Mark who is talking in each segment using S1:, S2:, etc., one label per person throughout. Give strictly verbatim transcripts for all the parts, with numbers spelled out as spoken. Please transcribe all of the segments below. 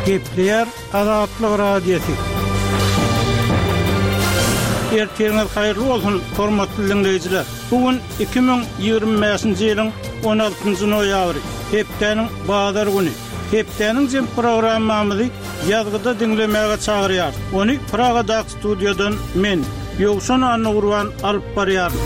S1: Gepleýär Azatlyk Radiosy. Ertiriňiz haýyrly bolsun, hormatly diňleýjiler. Bu gün iki müň ýigrimi bäşinji ýylyň on altynjy noýabry, hepdäniň bazar güni. Hepdäniň jem programmamyzy ýazgyda diňlemäge çagyrýarys. Ony Pragadaky studiýadan men, Ýowşan Annagurban alyp barýaryn.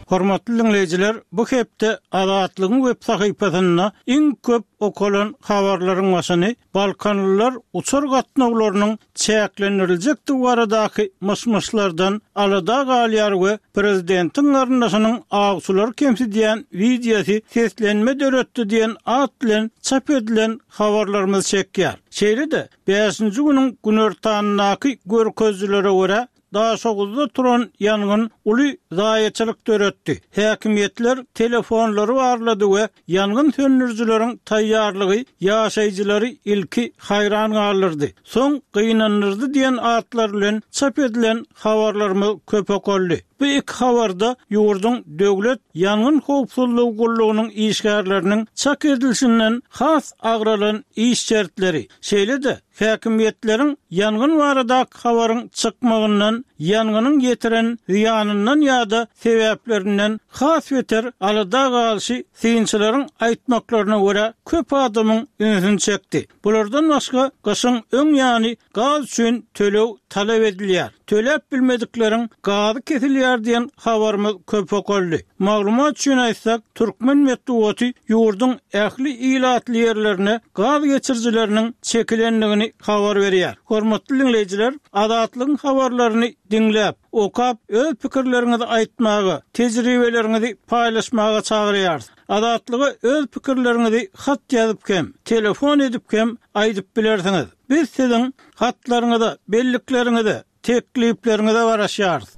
S1: Hormatly diňleýjiler, bu hepde Azatlygyň web sahypasynda iň köp okalan habarlaryň başyny Balkanlylar uçar gatnawlarynyň çäklendiriljekdigi baradaky myş-myşlardan alada galýar we prezidentiň garyndaşynyň awçylary kemsidýän wideosy seslenme döretdi diýen at bilen çap edilen habarlarymyz çekýär. Şeýle-de, bäşinji günüň günortanyndaky görkezijilere görä, Daşoguzda turan ýangyn uly zaýaçylyk döretdi. Häkimiýetler telefonlary barlady we ýangyn söndürijileriň taýýarlygy ýaşaýjylary ilki haýran galdyrdy, soň gynandyrdy diýen atlar bilen çap edilen habarlarymyz köp okaldy. Bu iki habarda ýurduň Döwlet ýangyn howpsuzlygy gullugynyň işgärleriniň çak edilişinden has agralan iş şertleri, şeýle-de häkimiýetleriň ýangyn baradaky habaryň çykmagyndan, ýangynyň ýetiren zyýanyndan ýa-da sebäplerinden has beter alada galyşy synçylaryň aýtmaklaryna görä köp adamyň ünsüni çekdi. Bulardan başga gyşyň öň ýany gaz üçin töleg talap edilýär. Töläp bilmedikleriň gazy kesilýär diýen habarymyz köp okaldy. Maglumat üçin aýtsak, türkmen metbugaty ýurduň ähli ilatly ýerlerine gaz geçirijileriniň çekilendigini habar berýär. Hormatly diňleýjiler, Azatlygyň habarlaryny diňläp, okap, öz pikirleriňizi aýtmaga, tejribeleriňizi paýlaşmaga çagyrýarys. Azatlyga öz pikirleriňizi hat ýazyp hem, telefon edip hem aýdyp bilersiňiz. Biz siziň hatlaryňyza, bellikleriňize, teklipleriňize garaşýarys.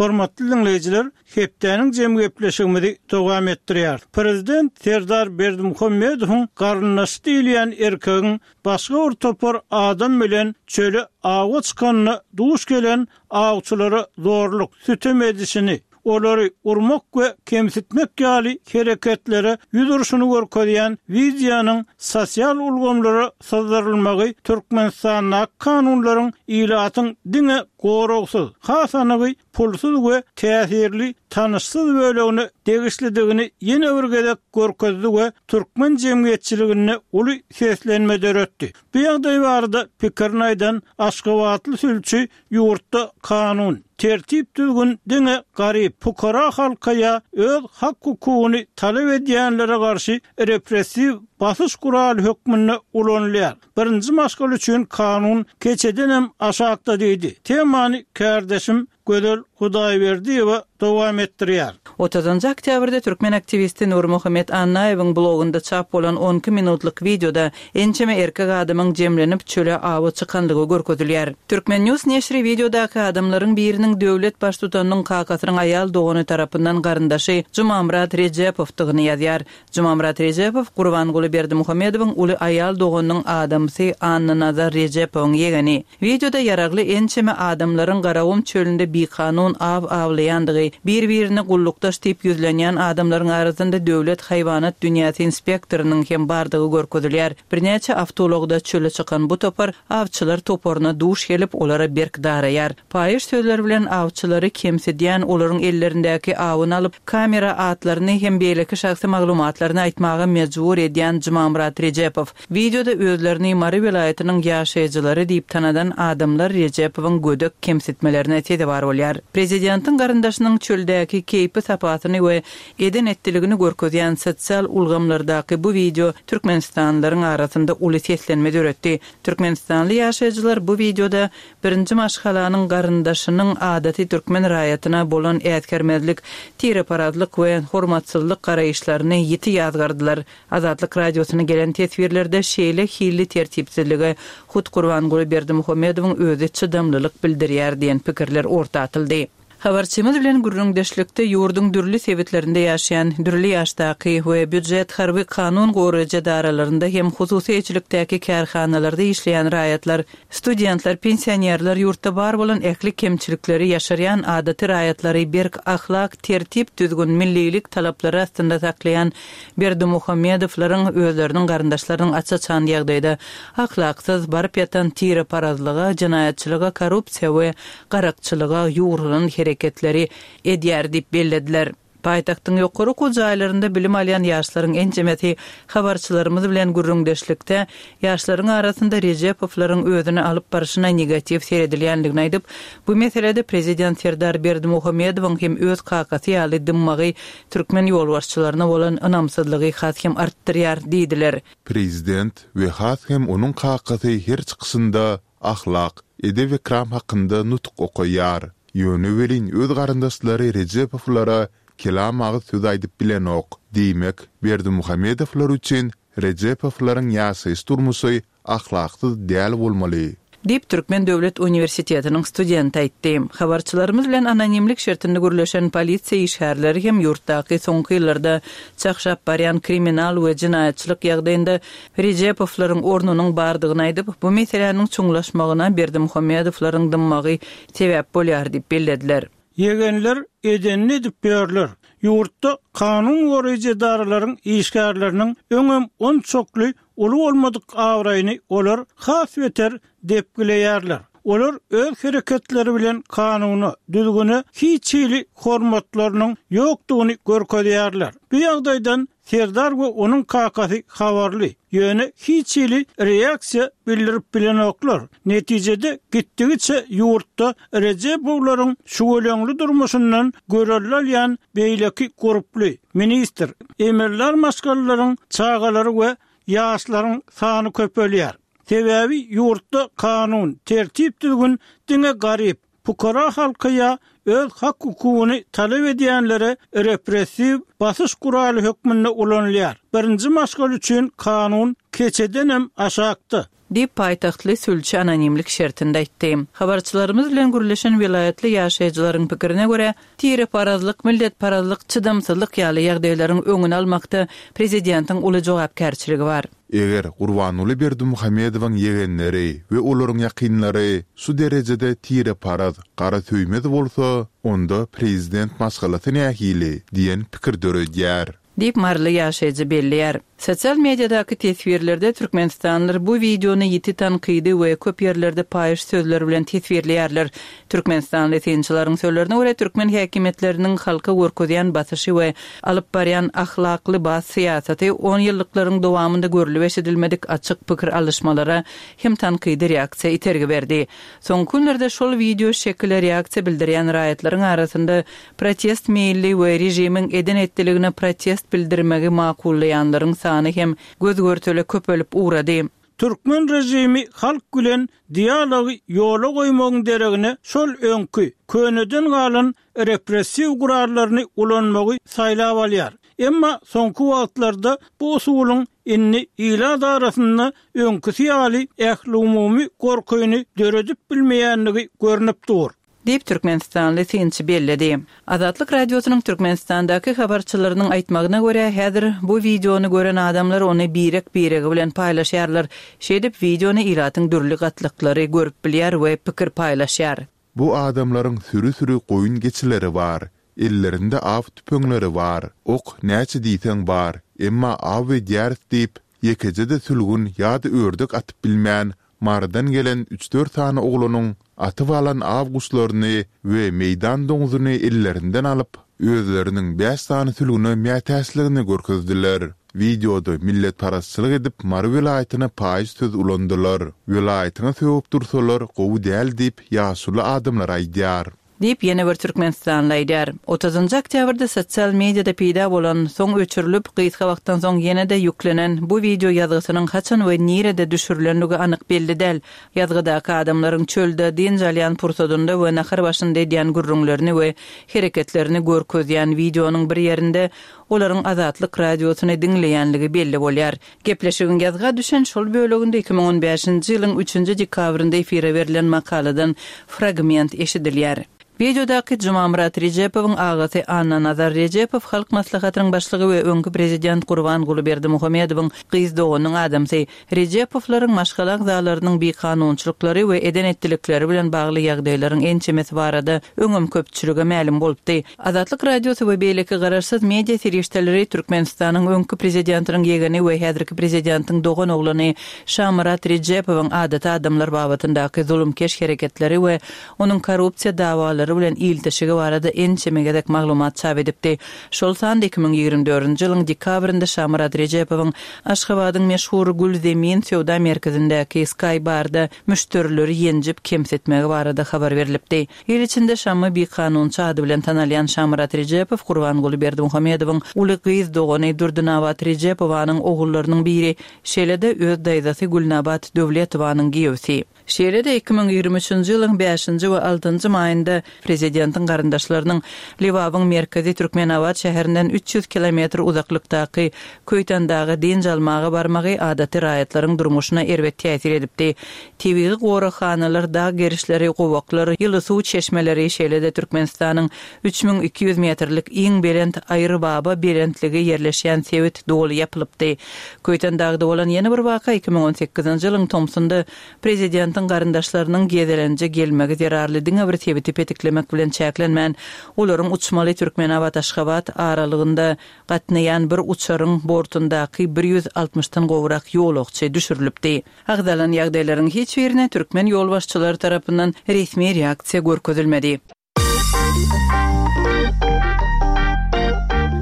S1: Hormatly diňleýjiler, hepdäniň jem gepleşigimizi dowam etdirýär. Prezident Serdar Berdimuhamedowyň garyndaşy diýilýän erkegiň başga bir topar adam bilen çöle awa çykanyna duş gelen awçylara zorluk, sütem edişini, olary urmak we kemsitmek ýaly hereketlere ýüz urşuny görkezýän wideonyň sosial ulgamlara syzdyrylmagy Türkmenistandaky kanunlaryň ilatyň diňe goragsyz, has anygy pulsuz we täsirli tanyşsyz bölegine degişlidigini ýene bir gezek görkezdi we türkmen jemgyýetçiliginde uly seslenme döretdi. Bu ýagdaý barada pikirini aýdan Aşgabatly sülçi ýurtda kanun, tertip düzgün diňe garyp, pukara halka ýa öz hak hukugyny talap edýänlere garşy repressiw basyş guraly hökmünde ulanylýar. Birinji maşgala üçin kanun keçedenem aşakda diýdi. Temany kärdeşim Gözel Hudaýberdiýewa dowam etdirýär.
S2: Otuzynjy oktýabrda türkmen aktiwisti Nurmuhammet Annaýewiň blogunda çap bolan on iki minutlyk wideoda ençeme erkek adamyň jemlenip çöle awa çykanlygy görkezilýär. Turkmen News neşiri wideodaky adamlaryň biriniň döwlet baştutanynyň kakasynyň aýal dogany tarapyndan garyndaşy Jumamyrat Rejepowdygyny ýazýar. Jumamyrat Rejepow Gurbanguly Berdimuhamedowyň uly aýal doganynyň adamsy Annanazar Rejepowyň ýegeni. Wideoda ýaragly ençeme adamlaryň Garagum çölünde bikanun aw awlaýandygy, bir-birine gullukdaş diýip ýüzlenýän adamlaryň arasynda döwlet haýwanat dünýäsi inspektorynyň hem bardygy görkezilýär. Birnäçe awtoulagda çöle çykan bu topar awçylar toparyna duş gelip, olara berk daraýar. Paýyş sözler bilen awçylary kemsidýän, olaryň ellerindäki awyny alyp, kamera atlaryny hem beýleki şahsy maglumatlaryny aýtmaga mejbur edýän Jumamyrat Rejepow. Wideoda özlerini Mary welaýatynyň ýaşaýjylary diýip tanadan adamlar Rejepowyň gödek kemsitmelerine sezewar bolýar. Prezidentiň garyndaşynyň çöldäki keýpi sapasyny we eden etdiligini görkezýän sosial ulgamlardaky bu wideo türkmenistanlylaryň arasynda uly seslenme döretdi. Türkmenistanly ýaşaýjylar bu wideoda birinji maşgalanyň garyndaşynyň adaty türkmen raýatyna bolan äsgermezlik, tireparazlyk we hormatsyzlyk garaýyşlaryny ýiti ýazgardylar. Azatlyk Radiosyna gelen teswirlerde şeýle hilli tertipsizlige hut Gurbanguly Berdimuhamedowyň özi çydamlylyk bildirýär diýen pikirler orta atyldy. Habarçymyz bilen gürrüňdeşlikde ýurduň dürli sebitlerinde ýaşaýan dürli ýaşdaky we býujet harby kanun goraýjy edaralarynda hem hususy eýeçilikdäki kärhanalarda işleýän raýatlar, studentler, pensionerler ýurtda bar bolan ähli kemçilikleri ýaşarýan adaty raýatlary berk ahlak, tertip, düzgün, millilik talaplary astynda saklaýan Berdimuhamedowlaryň özleriniň garyndaşlarynyň aç-açan ýagdaýda ahlaksyz baryp ýatan tireparazlyga, jenaýatçylyga, korrupsiýa we garakçylyga ýugrulan hereketleri edýär diýip bellediler. Paýtagtyň ýokary okuw jaýlarynda bilim alýan ýaşlaryň ençemesi habarçylarymyz bilen gürrüňdeşlikde ýaşlaryň arasynda Rejepowlaryň özüni alyp barşyna negatiw seredilýändigini aýdyp, bu meselede prezident Serdar Berdimuhamedowyň hem öz kakasy ýaly dymmagy türkmen ýolbaşçylaryna bolan ynamsyzlygy has hem artdyrýar diýdiler.
S3: Prezident we has hem onuň kakasy her çykyşynda ahlak, edep-ekram hakynda nutuk okaýar. Ýöne welin öz garyndaşlary Rejepowlara kelam agyz söz aýdyp bilenok. Diýmek, Berdimuhamedowlar üçin Rejepowlaryň ýaşaýyş durmuşy ahlaksyz däl bolmaly.
S2: Diýip, Türkmen döwlet uniwersitetiniň studenti aýtdy. Habarçylarymyz bilen anonimlik şertinde gürleşen polisiýa işgärleri hem ýurtdaky soňky ýyllarda çakşap barýan kriminal we jenaýatçylyk ýagdaýynda Rejepowlaryň ornunyň bardygyny aýdyp, bu meseläniň çuňlaşmagyna Berdimuhamedowlaryň dymmagy sebäp bolýar diýip bellediler.
S1: Ýegenler edenini edip ýörler. Ýurtda kanun goraýjy edaralaryň işgärleriniň öňem onçakly uly bolmadyk abraýyny olar has beter depgileýärler. Olar öz hereketleri bilen kanuna, düzgüne hiç hili hormatlarynyň ýokdugyny görkezýärler. Bu ýagdaýdan Serdar we onuň kakasy habarly, ýöne hiç hili reaksiýa bildirip bilenoklar. Netijede gitdigiçe ýurtda Rejepowlaryň şüweleňli durmuşyndan görelde alýan beýleki gurply, ministr, emeldar maşgalalaryň çagalary we ýaşlaryň sany köpelýär. Sebäbi ýurtda kanun, tertip düzgün diňe garyp, pukara halka ýa öz hak hukugyny talap edýänlere repressiw basyş guraly hökmünde ulanylýar. Birinji maşgala üçin kanun keçedenem aşakda.
S2: Diýip, paýtagtly sülçi anonimlik şertinde aýtdy. Habarçylarymyz bilen gürleşen welaýatly ýaşaýjylaryň pikirine görä, tireparazlyk, milletparazlyk, çydamsyzlyk ýaly ýagdaýlaryň öňüni almakda prezidentiň uly jogapkärçiligi bar.
S3: Eger Gurbanguly Berdimuhamedowyň ýegenleri we olaryň ýakynlary şu derejede tireparaz, gara söýmez bolsa, onda prezident maşgalasy nähili diýen pikir döredýär.
S2: Diýip, maryly ýaşaýjy belleýär. Sosial mediadaky teswirlerde türkmenistanlylar bu wideony ýiti tankydy we köp ýerlerde paýyş sözler bilen teswirleýärler. Türkmenistanly synçylaryň sözlerine görä, türkmen häkimiýetleriniň halka görkezýän basyşy we alyp barýan ahlakly bas syýasaty on ýyllyklaryň dowamynda görlüp eşidilmedik açyk pikir alyşmalara hem tankydy reaksiýa itergi berdi. Soňky günlerde şol wideo şekile reaksiýa bildirýän raýatlaryň arasynda protest meýilli we režimiň eden etdiligine protest bildirmegi makullaýanlaryň sany hem göz-görtele köpelip ugrady.
S1: Türkmen režimi halk bilen dialogy ýola goýmagyň deregine şol öňki, köneden galan repressiw gurallaryny ulanmagy saýlap alýar. Emma soňky wagtlarda bu usulyň indi ilat arasynda öňküsi ýaly ähli umumy gorkyny döredip bilmeýändigi görnüp dur.
S2: Diýip, türkmenistanly synçy belledi. Azatlyk Radiosynyň Türkmenistandaky habarçylarynyň aýtmagyna görä, häzir bu wideony gören adamlar ony birek-biregi bilen paýlaşýarlar. Şeýdip, wideony ilatyň dürli gatlaklary görüp bilýär we pikir paýlaşýar.
S3: Bu adamlaryň süri-süri goýun geçileri bar. Ellerinde aw tüpeňleri bar. Ok näçe diýseň bar, emma aw edýäris diýip, ýekeje-de sülgün ýa-da ördek atyp bilmän, Marydan gelen üç-dört sany oglanyň atyp alan aw guşlaryny we meýdan doňzuny ellerinden alyp, özleriniň bäş sany sülgüne mätäçligini görkezdiler. Wideoda milletparazçylyk edip Mary welaýatyna paýyş söz ulandylar. Welaýatyňa sögüp dursalar gowy däl diýip ýaşuly adamlar aýdýar.
S2: Diýip, ýene bir türkmenistanly aýdýar. Otuzynjy oktýabrda sosial mediada peýda bolan, soň öçürilip, gysga wagtdan soň ýene-de ýüklenen bu wideo ýazgysynyň haçan we nirede düşürilendigi anyk belli däl. Ýazgydaky adamlaryň çölde dynç alýan pursadynda we nahar başynda edýän gürrüňlerini we hereketlerini görkezýän wideonyň bir ýerinde olaryň Azatlyk Radiosyny diňleýänligi belli bolýar. Gepleşigiň ýazga düşen şol böleginde iki müň on bäşinji ýylyň üçünji dekabrynda efire berlen makaladan fragment eşidilýär. Wideodaky Jumamyrat Rejepowyň agasy Annanazar Rejepow Halk Maslahatynyň başlygy we öňki prezident Gurbanguly Berdimuhamedowyň gyz doganynyň adamsy. Rejepowlaryň maşgala agzalarynyň bikanunçylyklary we eden-etdilikleri bilen bagly ýagdaýlaryň ençemesi barada öňem köpçülige mälim bolupdy. Azatlyk Radiosy we beýleki garaşsyz media serişdeleri Türkmenistanyň öňki prezidentiniň ýegeni we häzirki prezidentiň doganoglany Şamyrat Rejepowyň adaty adamlar babatyndaky zulumkeş hereketleri we onuň korrupsiýa dawalary bilen ilteşigi barada ençeme gezek maglumat çap edipdi. Şol sanda iki müň ýigrimi dördünji ýylyň dekabrynda Şamyrat Rejepowyň Aşgabadyň meşhur Gül Zemin söwda merkezindäki Sky Barda müşderileri ýenjip kemsitmegi barada habar berlipdi. Il içinde Şammy bikanunçy ady bilen tanalýan Şamyrat Rejepow Gurbanguly Berdimuhamedowyň uly gyz dogany Durdynabat Rejepowanyň ogullarynyň biri, şeýle-de öz daýzasy Gülnabat Döwletowanyň giýewsi. Şeýle-de iki müň ýigrimi üçünji ýylyň bäşinji we altynjy maýynda prezidentiň garyndaşlarynyň Lebabyň merkezi Türkmenabat şäherinden üç ýüz kilometr uzaklykdaky Köýtendaga dynç almaga barmagy adaty raýatlaryň durmuşyna erbet täsir edipdi. Tebigy goraghanalar, dag gerişleri, gowaklar, ýyly suw çeşmeleri, şeýle-de Türkmenistanyň üç müň iki ýüz metrlik iň belent Aýrybaba belentligi ýerleşýän sebit doly ýapylypdy. Köýtendagda bolan ýene bir waka iki müň on sekizinji ýylyň tomsunda prezidentiň garyndaşlarynyň gezelenje gelmegi zerarly diňe bir sebiti petiklemek bilen çäklenmän, olaryň uçmaly Türkmenabat-Aşgabat aralygynda gatnaýan bir uçaryň bortundaky bir ýüz altmyşdan gowrak ýolagçy düşürilipdi. Agzalan ýagdaýlaryň hiç birine türkmen ýolbaşçylary tarapyndan resmi reaksiýa görkezilmedi.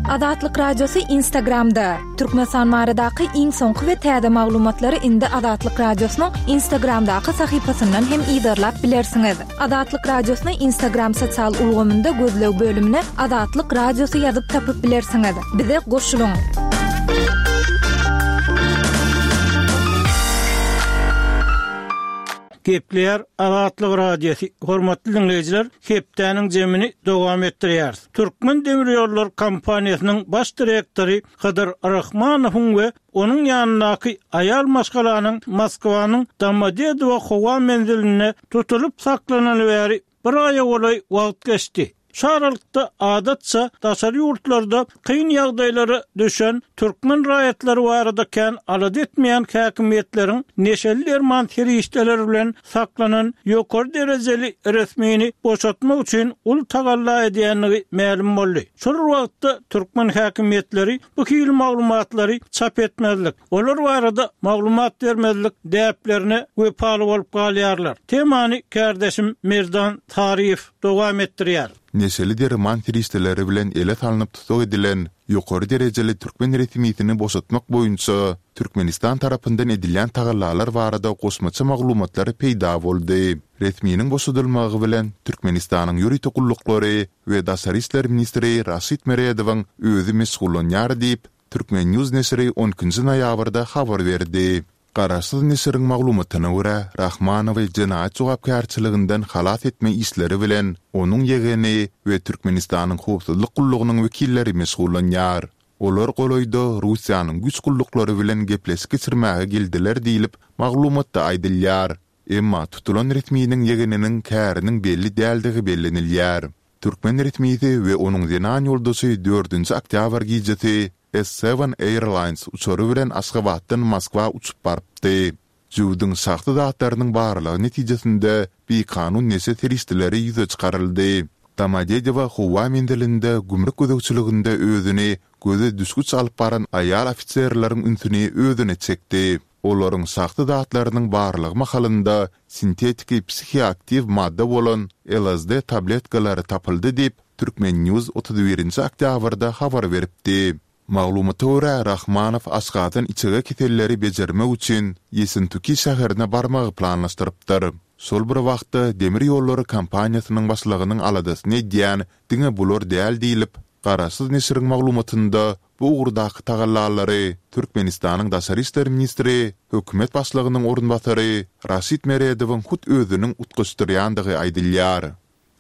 S4: Azatlyk Radiosy Instagramda. Türkmenistan baradaky iň soňky we täze maglumatlary indi Azatlyk Radiosynyň Instagramdaky sahypasyndan hem yzarlap bilersiňiz. Azatlyk Radiosyny Instagram sosial ulgamynda gözleg bölümine Azatlyk Radiosy ýazyp tapyp bilersiňiz. Bize goşulyň.
S1: Gepleýär Azatlyk Radiosy. Hormatly dinleýjiler, hepdäniň jemini dowam etdirýäris. Türkmen demir ýollar kompaniýasynyň baş direktory Hydyr Rahmanowyň we onuň ýanyndaky aýal maşgalanyň Moskwanyň Domodedowo howa menzilinde tutulyp saklanany bäri bir aýa golaý wagt geçdi. Şu aralykda adatça daşary ýurtlarda kyn ýagdaýlara düşen türkmen raýatlary barada kän alada etmeýän häkimiýetleriň neşeli derman serişdeleri bilen saklanan ýokary derejeli resmini boşatmak üçin uly tagalla edýändigi mälim boldy. Şol wagtda türkmen häkimiýetleri bu hili maglumatlary çap etmezlik, olar barada maglumat bermezlik däplerine wepaly bolup galýarlar. Temany kärdeşim Merdan Taryýew dowam etdirýär.
S3: Neşeli derman serişdeleri bilen ele salnyp tutuk edilen ýokary derejeli türkmen resmisini boşatmak boýunça Türkmenistan tarapyndan edilýän tagallalar barada goşmaça maglumatlar peýda boldy. Resminiň boşadylmagy bilen Türkmenistanyň ýörite gulluklary we Daşary işler ministri Raşid Meredowyň özi meşgullanýar diýip, Türkmen News neşiri on ikinji noýabrda habar berdi. Garaşsyz neşiriň maglumatyna görä, Rahmanowy jenaýat jogapkärçiliginden halas etme işleri bilen onuň ýegeni we Türkmenistanyň howpsuzlyk gullugynyň wekilleri meşgullanýar. Olar golaýda Russiýanyň güýç gulluklary bilen gepleşik geçirmäge geldiler diýlip, maglumatda aýdylýar. Emma tutulan resminiň ýegeniniň käriniň belli däldigi bellenilýär. Türkmen resmisi we onuň zenan ýoldaşy dördünji oktýabr gijesi S seven Airlines uçary bilen Aşgabatdan Moskwa uçup barypdy. Jübüdiň şahsy zatlarynyň barlagy netijesinde bikanun neşe serişdeleri ýüze çykaryldy. Domodedowo howa menzilinde gümrük gözegçiliginde özüni göze düşgüç alyp baran aýal ofiserleriň ünsüni özüne çekdi. Olaryň şahsy zatlarynyň barlagy mahalynda sintetiki psihoaktiw madda bolan L S D tabletkalary tapyldy diýip, Türkmen News otuz birinji oktýabrda habar beripdi. Maglumata görä, Rahmanow Aşgabatdan içege keselleri bejermek üçin Ýesentuki şäherine barmagy planlaşdyrypdyr. Şol bir wagtda demir ýollary kompaniýasynyň başlygynyň aladasyny edýän diňe bular däl diýlip, garaşsyz neşiriň maglumatynda bu ugurdaky tagallalary Türkmenistanyň Daşary işler ministri, hökümet başlygynyň orunbasary Raşid Meredowyň hut özüniň utgaşdyrýandygy aýdylýar.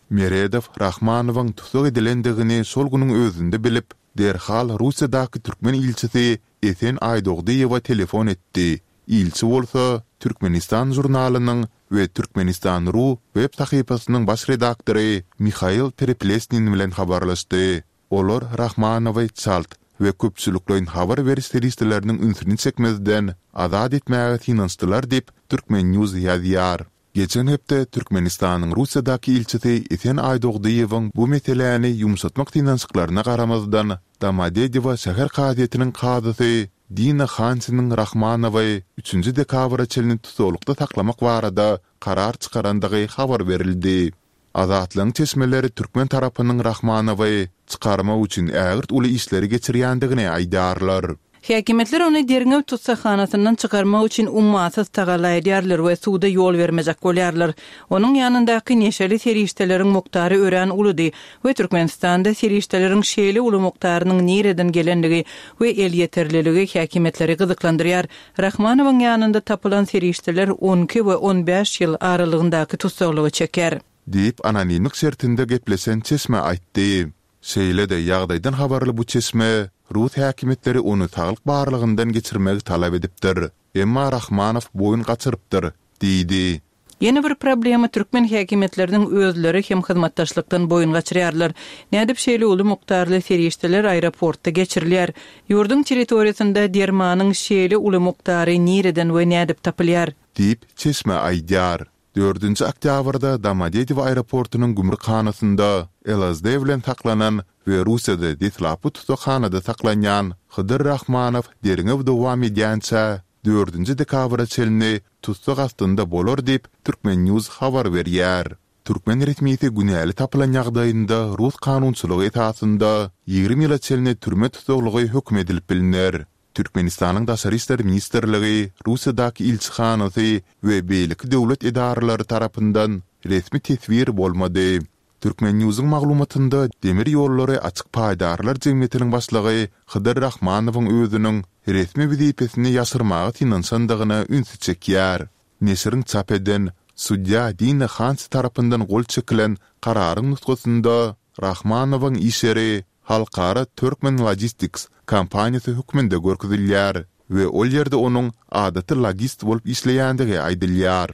S3: Meredow Rahmanowyň tussag edilendigini şol günüň özünde bilip, derhal Russiýadaky türkmen ilçisi Esen Aýdogdyýewa telefon etdi. Ilçi bolsa Türkmenistan žurnalynyň we Türkmenistan. Ru web sahypasynyň baş redaktory Mihail Pereplesnin bilen habarlaşdy. Olar Rahmanowy çalt we köpçülikleýin habar beriş serişdeleriniň ünsüni çekmezden azat etmäge synanyşdylar diýip, Turkmen. News ýazýar. Geçen hepde Türkmenistanyň Russiýadaky ilçisi Esen Aýdogdyýewiň bu meseläni ýumşatmak synanyşyklaryna garamazdan, Domodedowo şäher kazyýetiniň kazysy Dina Hansiniň Rahmanowy üçünji dekabra çenli tussaglykda saklamak barada karar çykarandygy habar berildi. Azatlygyň çeşmeleri türkmen tarapynyň Rahmanowy çykarmak üçin ägirt uly işleri geçirýändigini aýdýarlar.
S2: Häkimiýetler ony derňew tussaghanasyndan çykarmak üçin ummasyz tagalla edýärler we suda ýol bermejek bolýarlar. Onuň ýanyndaky neşeli serişdeleriň mukdary örän uludy we Türkmenistanda serişdeleriň şeýle uly mukdarynyň nireden gelenligi we elýeterliligi häkimiýetleri gyzyklandyrýar. Rahmanowyň ýanynda tapylan serişdeler on iki we on bäş ýyl aralygyndaky tussaglygy çeker.
S3: Diýip, anonimlik şertinde gepleşen çeşme aýtdy. Şeýle-de ýagdaýdan habarly bu çeşme rus häkimiýetleri ony saglyk barlagyndan geçirmegi talap edipdir. Emma Rahmanow boýun gaçyrypdyr, diýdi.
S2: Ýene bir problema türkmen häkimiýetleriniň özleri hem hyzmatdaşlykdan boýun gaçyrýarlar. Nädip şeýle uly mukdarly serişdeler aeroportda geçirilýär? Ýurduň territoriýasynda dermanyň şeýle uly mukdary nireden we nädip tapylýar?
S3: Diýip, çeşme aýdýar. Dördünji oktýabrda Domodedowo aeroportunyň gümrükhanasynda L S D bilen saklanan we Russiýada deslapky tussaghanada saklanýan Hydyr Rahmanow derňew dowam edýänçä dördünji dekabra çenli tussag astynda bolar diýip, Turkmen News habar berýär. Türkmen resmisi günäli tapylan ýagdaýynda rus kanunçylygy esasynda ýigrimi ýyla çenli türme tussaglygy höküm edilip bilner. Türkmenistanyň Daşary işler ministrligi, Russiýadaky ilçihanasy we beýleki döwlet edaralary tarapyndan resmi teswir bolmady. Turkmen News'yň maglumatynda demir ýollary açyk paýdarlar jemgyýetiniň başlygy Hydyr Rahmanowyň özüniň resmi wezipesini ýaşyrmaga synanyşandygyna ünsi çekýär. Neşiriň çap eden sudýa Dina Hansi tarapyndan gol çekilen kararyň nusgasynda Rahmanowyň iş ýeri Halkara Turkmen Logistics kompaniýasy hökmünde görkezilýär we ol ýerde onuň adaty logist bolup işleýändigi aýdylýar.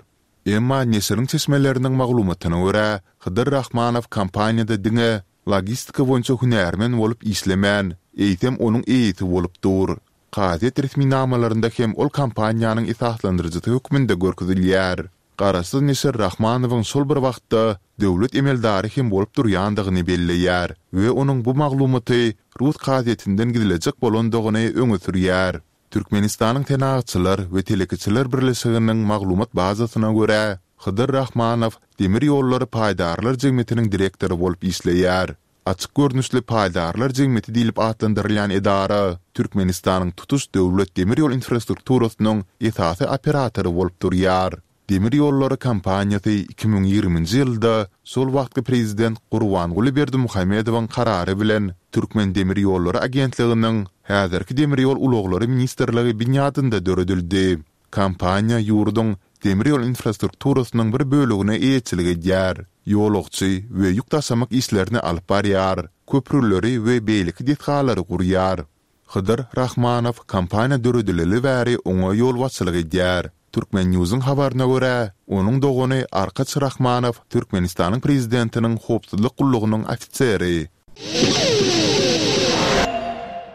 S3: Emma neşiriň çeşmeleriniň maglumatyna görä, Hydyr Rahmanow kompaniýada diňe logistika boýunça hünärmen bolup işlemän, eýsem onuň eýesi bolup dur. Kazyýet resminamalarynda hem ol kompaniýanyň esaslandyryjysy hökmünde görkezilýär. Garaşsyz neşir Rahmanowyň şol bir wagtda döwlet emeldary hem bolup durýandygyny belleýär we onuň bu maglumaty rus kazyýetinden gizlejek bolandygyny öňe sürýär. Türkmenistanyň Senagatçylar we telekeçiler birleşiginiň maglumat bazasyna görä, Hydyr Rahmanow demir ýollary paýdarlar jemgyýetiniň direktory bolup işleýär. Açyk görnüşli paýdarlar jemgyýeti diýlip atlandyrylýan edara Türkmenistanyň tutuş döwlet demir ýol infrastrukturasynyň esasy operatory bolup durýar. Demir ýollary kompaniýasy iki müň ýigriminji ýylda şol wagtky prezident Gurbanguly Berdimuhamedowyň karary bilen Türkmen demir ýollary agentliginiň häzirki demir ýol ulaglary ministrligi binýadynda döredildi. Kompaniýa ýurduň demir ýol infrastrukturasynyň bir bölegine eýeçilik edýär. Ýolagçy we ýük daşamak işlerini alyp barýar, köprüleri we beýleki desgalary gurýar. Hydyr Rahmanow kompaniýa döredileli bäri oňa ýolbaşçylyk edýär. Turkmen News'yň habaryna görä, onuň dogany Arkaç Rahmanow Türkmenistanyň prezidentiniň howpsuzlyk gullugynyň ofiseri.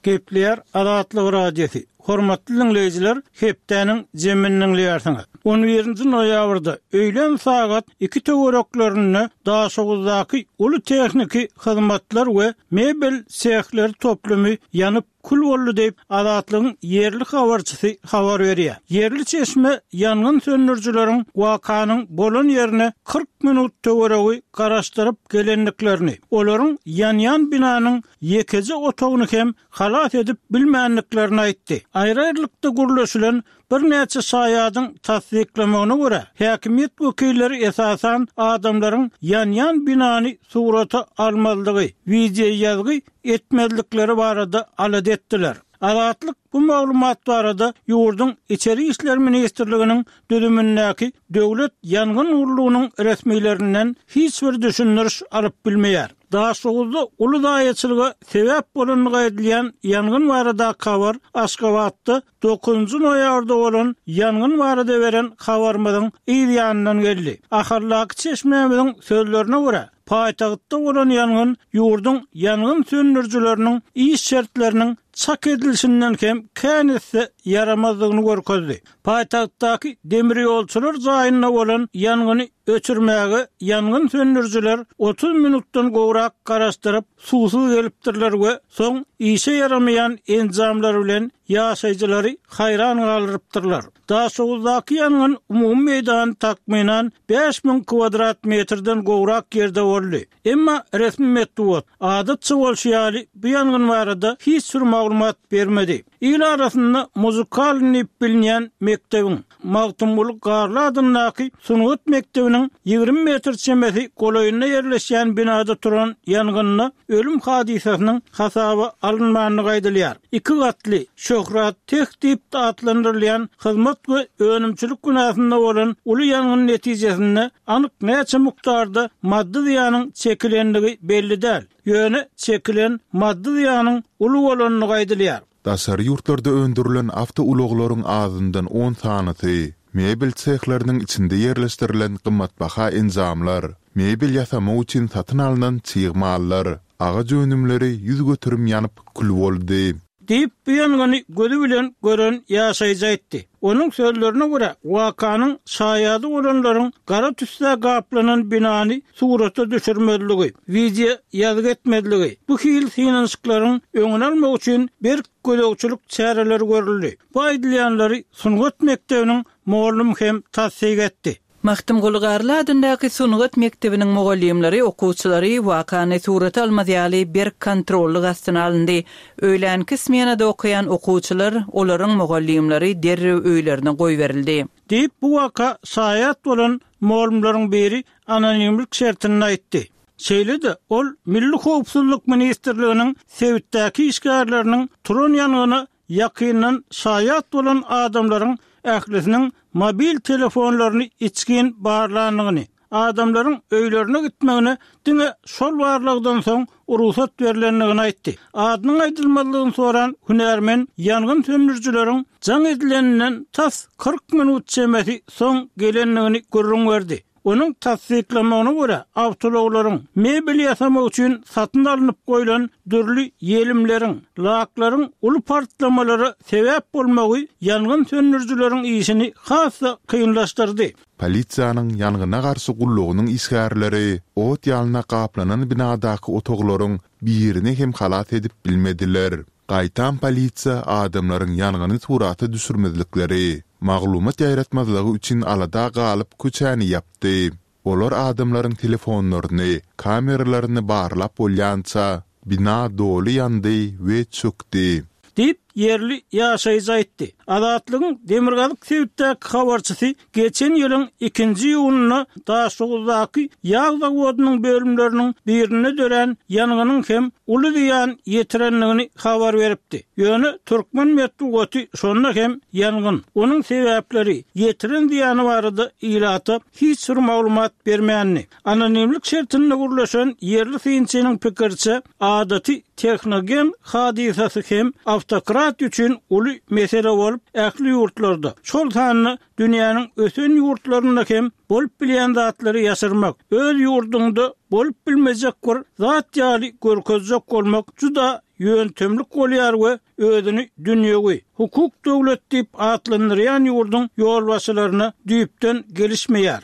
S1: Gepleýär Azatlyk Radiosy. Hormatly diňleýjiler, hepdäniň jemini diňleýärsiňiz. On birinji noýabrda öýlän sagat iki töwereklerinde Daşoguzdaky uly tehniki hyzmatlar we mebel sehleri toplumy ýanyp kül boldy diýip, Azatlygyň ýerli habarçysy habar berýär. Ýerli çeşme ýangyn söndürijileriň wakanyň bolan ýerine kyrk minut töweregi garaşdyryp gelendiklerini, olaryň ýanýan binanyň ýekeje otagyny hem halas edip bilmändiklerini aýtdy. Aýry-aýrylykda gürleşilen birnäçe şaýadyň tassyklamagyna görä, häkimiýet wekilleri esasan adamlaryň ýanýan binany surata almazlygy, wideo ýazgy etmezlikleri barada alada etdiler. Azatlyk bu maglumat barada ýurduň Içeri işler ministrliginiň düzümindäki Döwlet ýangyn gullugynyň resmilerinden hiç bir düşündiriş alyp bilmeýär. Daşoguzda uly zaýaçylyga sebäp bolandygy aýdylýan ýangyn baradaky habar Aşgabatda dokuzynjy noýabrda bolan ýangyn barada beren habarymyzyň yz ýanyndan geldi. Ahaldaky çeşmämiziň sözlerine görä, paýtagtda bolan ýangyn ýurduň ýangyn söndürijileriniň iş şertleriniň çak edilişinden hem kän esse ýaramazdygyny görkezdi. Paýtagtdaky demir ýolçular jaýynda bolan ýangyny öçürmäge ýangyn söndürijiler otuz minutdan gowrak garaşdyryp, suwsuz gelipdirler we soň işe ýaramaýan enjamlar bilen ýaşaýjylary haýran galdyrypdyrlar. Daşoguzdaky ýangyn umumy meýdany takmynan bäş müň kwadrat metrden gowrak ýerde boldy. Emma resmi metbugat adatça bolşy ýaly bu ýangyn barada hiç bir maglumat bermedi. Il arasynda muzikalny diýip bilinýän mekdebiň Magtymguly Garly adyndaky sungat mekdebiniň ýigrimi metr çemesi golaýynda ýerleşýän binada turan ýangynda ölüm hadysasynyň hasaba alynmandygy aýdylýar. Iki gatly Şöhrat Teh diýip atlandyrylýan hyzmat we önümçilik binasynda bolan uly ýangyn netijesinde anyk näçe mukdarda maddy zyýanyň çekilendigi belli däl. Ýöne çekilen maddy zyýanyň uly bolandygy aýdylýar.
S3: Daşary ýurtlarda öndürilen awtoulaglaryň azyndan on sanysy, mebel sehleriniň içinde ýerleşdirilen gymmatbaha enjamlar, mebel ýasamak üçin satyn alnan çig mallar, agaç önümleri ýüz göterim ýanyp kül boldy.
S1: Diýip, bu ýangyny gözi bilen gören ýaşaýjy aýtdy. Onuň sözlerine görä, wakanyň şaýady bolanlaryň gara tüssä gaplanan binany surata düşürmezligi, wideo ýazgy etmezligi, bu hil synanyşyklaryň öňüni almak üçin berk gözegçilik çäreleri görüldi. Bu aýdylýanlary sungat mekdebiniň mugallym hem tassyk etdi.
S2: Magtymguly Garly adyndaky sungat mekdebiniň mugallymlary okuwçylary wakany surata almaz ýaly berk kontrollyk astyna alyndy. Öýlänki smenada okaýan okuwçylar, olaryň mugallymlary derrew öýlerine goýberildi.
S1: Diýip, bu waka şaýat bolan mugallymlaryň biri anonimlik şertinde aýtdy. Şeýle-de ol Milli Howpsuzlyk Ministrliginiň sebitdäki işgärleriniň turan ýangyna ýakyndan şaýat bolan adamlaryň ählisiniň mobil telefonlaryny içgin barlandygyny, adamlaryň öýlerine gitmegine diňe şol barlagdan soň rugsat berlendigini aýtdy. Adynyň aýdylmazlygyny soran hünärmen ýangyn söndürijileriň jaň edileninden tas kyrk minut çemesi soň gelendigini gürrüň berdi. Onuň tassyklamagyna görä, awtoulaglaryň mebel ýasamak üçin satyn alnyp goýlan dürli ýelimleriň, laklaryň uly partlamalara sebäp bolmagy ýangyn söndürijileriň işini has-da kynlaşdyrdy.
S3: Polisiýanyň ýangyna garşy gullugynyň işgärleri ot ýalyna gaplanan binadaky otaglaryň birini hem halas edip bilmediler. Gaýtam polisiýa adamlaryň ýangyny surata düşürmezlikleri, maglumat ýaýratmazlygy üçin alada galyp köçäni ýapdy. Olar adamlaryň telefonlaryny, kameralaryny barlap bolýança bina doly ýandy we çökdi.
S1: Diýip, ýerli ýaşaýjy aýtdy. Azatlygyň Demirgazyk sebitdäki habarçysy geçen ýylyň ikinji iýunynda Daşoguzdaky ýag zawodynyň bölümleriniň birinde dörän ýangynyň hem uly zyýan ýetirendigini habar beripdi. Ýöne türkmen metbugaty şonda hem ýangyn, onuň sebäpleri, ýetiren zyýany barada ilata hiç bir maglumat bermändi. Anonimlik şertinde gurlaşan ýerli synçynyň pikiriçe, adaty tehnogen hadysasy hem awtokrat üçin uly mesele bolup, ähli ýurtlarda, şol sanda dünýäniň ösen ýurtlarynda hem bolup bilýän zatlary ýaşyrmak, öz ýurdunda bolup bilmejek bir zat ýaly görkezjek bolmak juda ýöntemlik bolýar we özüni dünýewi, hukuk döwlet diýip atlandyrýan ýurduň ýolbaşçylaryna düýpden gelişmeýär.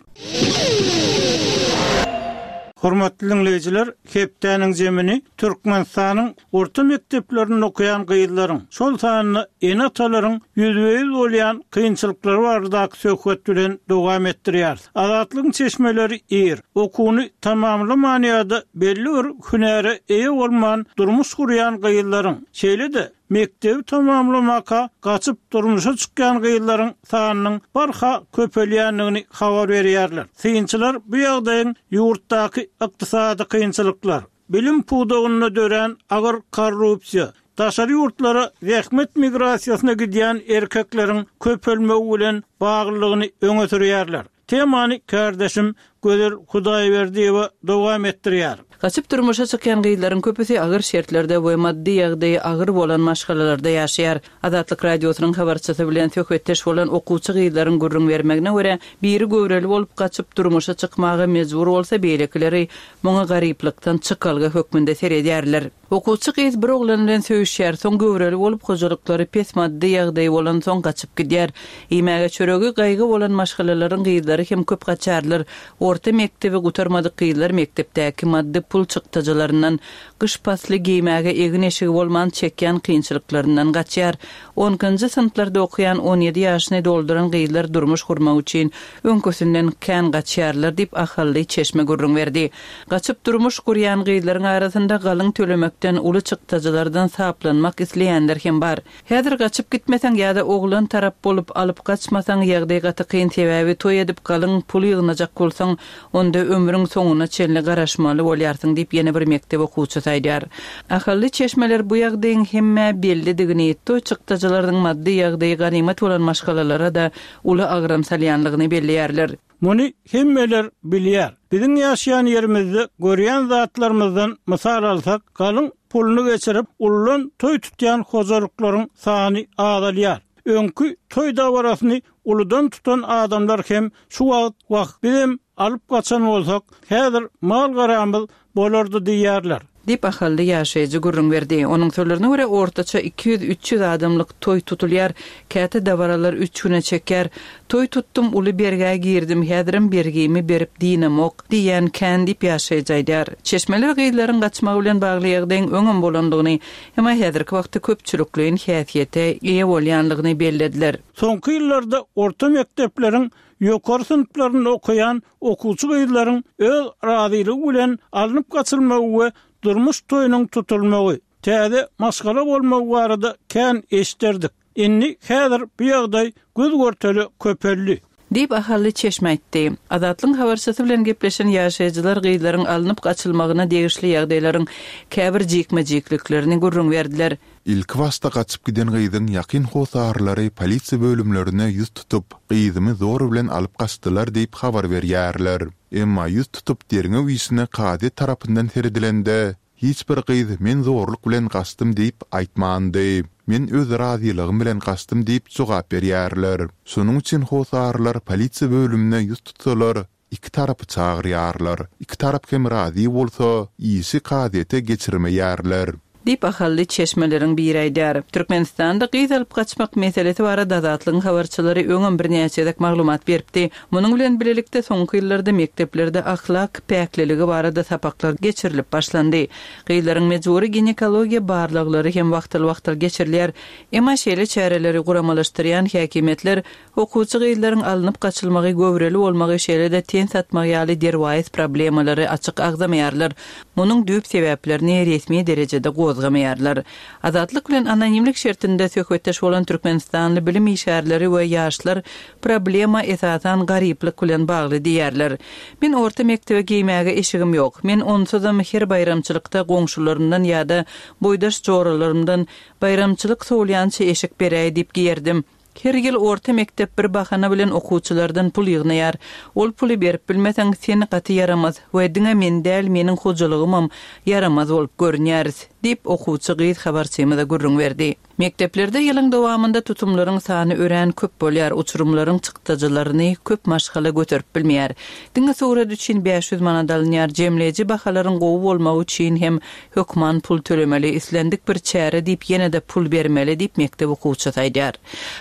S1: Hormatly dinleýjiler, hepdäniň zemini Türkmenistanyň orta mekdeplerinde okaýan gyzlaryň, şol sanda ene-atalaryň ýüzbe-ýüz bolýan kynçylyklary baradaky söhbet bilen dowam etdirýär. Azatlygyň çeşmeleri ir, okuwyny tamamlaman ýa-da belli bir hünäre eýe bolman durmuş gurýan gyzlaryň, şeýle-de mekdebi tamamlamaka gaçyp durmuşa çykýan gyzlaryň sanynyň barha köpelýändigini habar berýärler. Synçylar bu ýagdaýyň ýurtdaky ykdysady kynçylyklar, bilim pudagynda dörän agyr korrupsiýa, daşary ýurtlara zähmet migrasiýasyna gidýän erkekleriň köpelmegi bilen baglylygyny öňe sürýärler. Temany kardeşim Gözel Hudaýberdiýewa dowam etdirýär.
S2: Gaçyp durmuşa çykýan gyzlaryň köpüsi agyr şertlerde we maddy ýagdaýy agyr bolan maşgalalarda ýaşaýar. Azatlyk Radiosynyň habarçysy bilen söhbetdeş bolan okuwçy gyzlaryň gürrüň bermegine görä, biri göwreli bolup gaçyp durmuşa çykmaga mejbur bolsa, beýlekileri muňa garyplykdan çykalga hökmünde seredýärler. Okuwçy gyz bir oglan bilen söýüşýär, soň göwreli bolup hojalyklary pes maddy ýagdaýy bolansoň gaçyp gidýär. Iýmäge çöregi gaýgy bolan maşgalalaryň gyzlary hem köp gaçarlar. Orta mekdebi gutarmadyk gyzlar mekdepdäki maddy pul çykdajylaryndan, gyş pasly geýmäge egin-eşigi bolman çekýän kynçylyklaryndan gaçýar. On ikinji synplarda okaýan on ýedi ýaşyny dolduran gyzlar durmuş gurmak üçin öňküsinden kän gaçýarlar diýip ahally çeşme gürrüň berdi. Gaçyp durmuş gurýan gyzlaryň arasynda galyň tölemekden uly çykdajylardan saplanmak isleýänler hem bar. Häzir gaçyp gitmeseň ýa-da oglan tarap bolup alyp gaçmasaň ýagdaý gaty kyn, sebäbi toý edip galyň pul ýygnajak bolsaň, onda ömrüň soňuna çenli garaşmaly bolýarsyň diýip ýene bir mekdep okuwçysy aýdýar. Ahally çeşmeler bu ýagdaýyň hemmä bellidigini, toý çykdajylarynyň maddy ýagdaýy ganymat bolan maşgalalara da uly agram salýanlygyny belleýärler.
S1: Muny hemmeler bilýär. Biziň ýaşaýan ýerimizde görýän zatlarymyzdan mysal alsak, galyň puluny geçirip, ullan toý tutýan hojalyklaryň sany azalýar. Öňki toý dabarasyny uludan tutan adamlar hem şu wagt wah bizem alyp gaçan bolsak, häzir mal garamyz bolardy diýýärler.
S2: Diýip ahally ýaşaýjy gürrüň berdi. Onuň sözlerine görä ortaça iki ýüz üç ýüz adamlyk toý tutulýar. Käte dabaralar üç güne çeker. Toý tutdum, uly bergä girdim, häzirem bergimi berip diýnemok diýen kän diýip ýaşaýjy aýdýar. Çeşmeler gyzlaryň gaçmagy bilen bagly ýagdaýyň öňem bolandygyny, emma häzirki wagtda köpçülikleýin häsiýete eýe bolýanlygyny bellediler.
S1: Soňky ýyllarda orta mekdepleriň ýokary synplarynda okaýan okuwçy gyzlaryň öz razylygy bilen alnyp gaçylmagy we durmuş toýunyň tutulmagy, täze maşgala bolmagy barada kän eşderdik. Indi häzir bu ýagdaý göz görteli köpeldi.
S2: Diýip ahally çeşme aýtdy. Azatlygyň habarçysy bilen gepleşen ýaşaýjylar gyzlaryň alnyp gaçylmagyna degişli ýagdaýlaryň käbir jikme-jikliklerini gürrüň berdiler.
S3: Ilki başda gaçyp giden gyzyň ýakyn hosarlary polisiýa bölümlerine ýüz tutup, gyzymy zor bilen alyp gaçdylar diýip habar berýärler. Emma ýüz tutup derňew işine kazyýet tarapyndan seredilende, hiç bir gyz men zorluk bilen gaçdym diýip aýtmandy. Men öz razylygym bilen gaçdym diýip jogap berýärler. Şonuň üçin hosarlar polisiýa bölümine ýüz tutsalar, iki tarapy çagyrýarlar. Iki tarap hem razy bolsa, işi kazyýete geçirmeýärler.
S2: Diýip ahally çeşmeleriň biri aýdýar. Türkmenistanda gyz alyp gaçmak meselesi barada Azatlygyň habarçylary öňem birnäçe gezek maglumat beripdi. Munuň bilen birlikde soňky ýyllarda mekdeplerde ahlak päkliligi barada sapaklar geçirilip başlandy. Gyzlaryň mejbury ginekologiýa barlaglary hem wagtal-wagtal geçirilýär. Emma şeýle çäreleri guramalaşdyrýan häkimiýetler okuwçy gyzlaryň alnyp gaçylmagy, göwreli bolmagy, şeýle-de ten satmagy ýaly derwaýys problemalary açyk agzamaýarlar. Munuň düýp sebäplerini resmi derejede gozgamaýarlar. Azatlyk bilen anonimlik şertinde söhbetdeş bolan Türkmenistanly bilim işgärleri we ýaşlar problema esasan garyplyk bilen bagly diýerler. Men orta mekdebe geýmäge eşigim ýok. Men onsuzam her baýramçylykda goňşularymdan ýa-da boýdaş joralarymdan baýramçylyk sowulýança eşik beräý diýip giýerdim. Her ýyl orta mekdep bir bahana bilen okuwçylardan pul ýygnaýar. Ol puly berip bilmeseň sen gaty ýaramaz we diňe men däl meniň hojalygymam ýaramaz bolup görünýäris diýip okuwçy gyz habarçymyza gürrüň berdi. Mekdeplerde ýylyň dowamynda tutumlaryň sany örän köp bolýar, uçurymlaryň çykdajylaryny köp maşgala göterip bilmeýär. Diňe surat üçin bäş ýüz manat alynýar, jemleýji bahalaryň gowy bolmagy üçin hem hökman pul tölemeli, islendik bir çäre diýip ýene-de pul bermeli diýip mekdep okuwçysy aýdýar.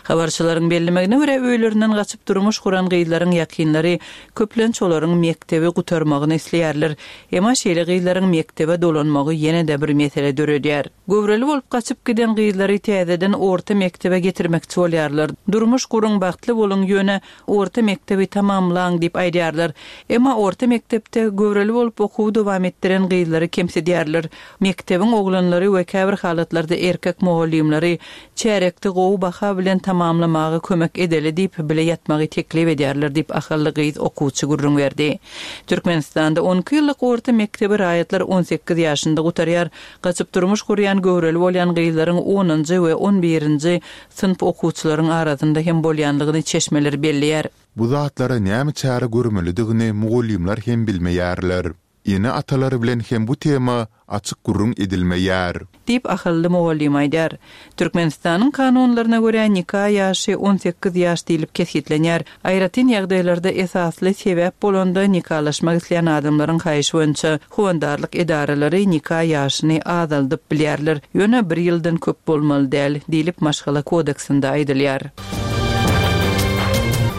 S2: Habarçylaryň bellemegine görä öýlerinden gaçyp durmuş guran gyzlaryň ýakynlary köplenç olaryň mekdebi gutarmagyny isleýärler. Emma şeýle gyzlaryň mekdebe dolanmagy ýene-de bir mesele döredýär. Göwreli bolup gaçyp giden gyzlary täzeden orta mekdebe getirmekçi bolýarlar. Durmuş guruň bagtly boluň ýöne orta mekdebi tamamlaň diýip aýdýarlar. Emma orta mekdepde göwreli bolup okuwy dowam etdiren gyzlary kemsidýärler. Mekdebiň oglanlary we käbir halatlarda erkek mugallymlary çärekde gowy baha bilen tamamlamaga kömek edeli diýip bile ýatmagy teklip edýärler diýip ahally gyz okuwçy gürrüň berdi. Türkmenistanda on iki ýyllyk orta mekdebi raýatlar on sekiz ýaşynda gutarýar. Gaçyp durmuş gurýan göwreli bolýan gyzlaryň onunjy we on birinji synp okuwçylaryň arasynda hem bolýanlygyny çeşmeler belleýär.
S3: Bu zatlara näme çäre görmelidigini mugallymlar hem bilmeýärler. Ene-atalar bilen hem bu tema açyk gürrüň edilmeýär.
S2: Diýip, ahally mugallym aýdýar. Türkmenistanyň kanunlaryna görä, nika ýaşy on sekiz ýaş diýlip kesgitlenýär. Aýratyn ýagdaýlarda esasly sebäp bolanda nikalaşmak isleýän adamlaryň haýyşy boýunça howandarlyk edaralary nika ýaşyny azaldyp bilýärler. Ýöne bir ýyldan köp bolmaly däl diýlip maşgala kodeksinde aýdylýar.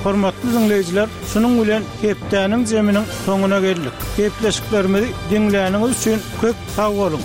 S1: Hormatly dinleýjiler, şunuň bilen hepdäniň zeminiň soňuna geldik. Gepleşiklerimizi diňläniňiz üçin köp sag boluň.